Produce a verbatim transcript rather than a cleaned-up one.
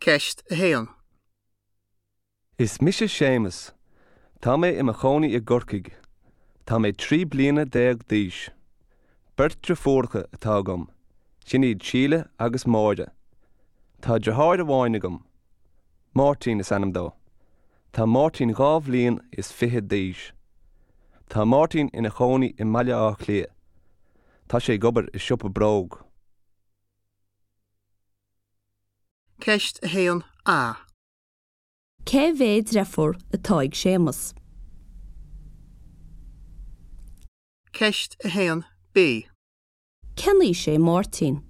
Ceist a haon. Is mise Séamus. Tá mé i mo chónaí i gCorcaigh. Tá mé trí bliana déag d'aois. Beirt deirfiúracha atá agam, sin iad Síle agus Máire. Tá deartháir amháin agam. Máirtín is ainm dó. Tá Máirtín dhá bhliain is fiche d'aois. Tá Máirtín ina chónaí i mBaile Átha Cliath. Tá sé ag obair i siopa bróg. Ceist a haon A. Cé mhéad deirfiúr atá ag Séamus? Ceist a haon B. Cén aois é Máirtín?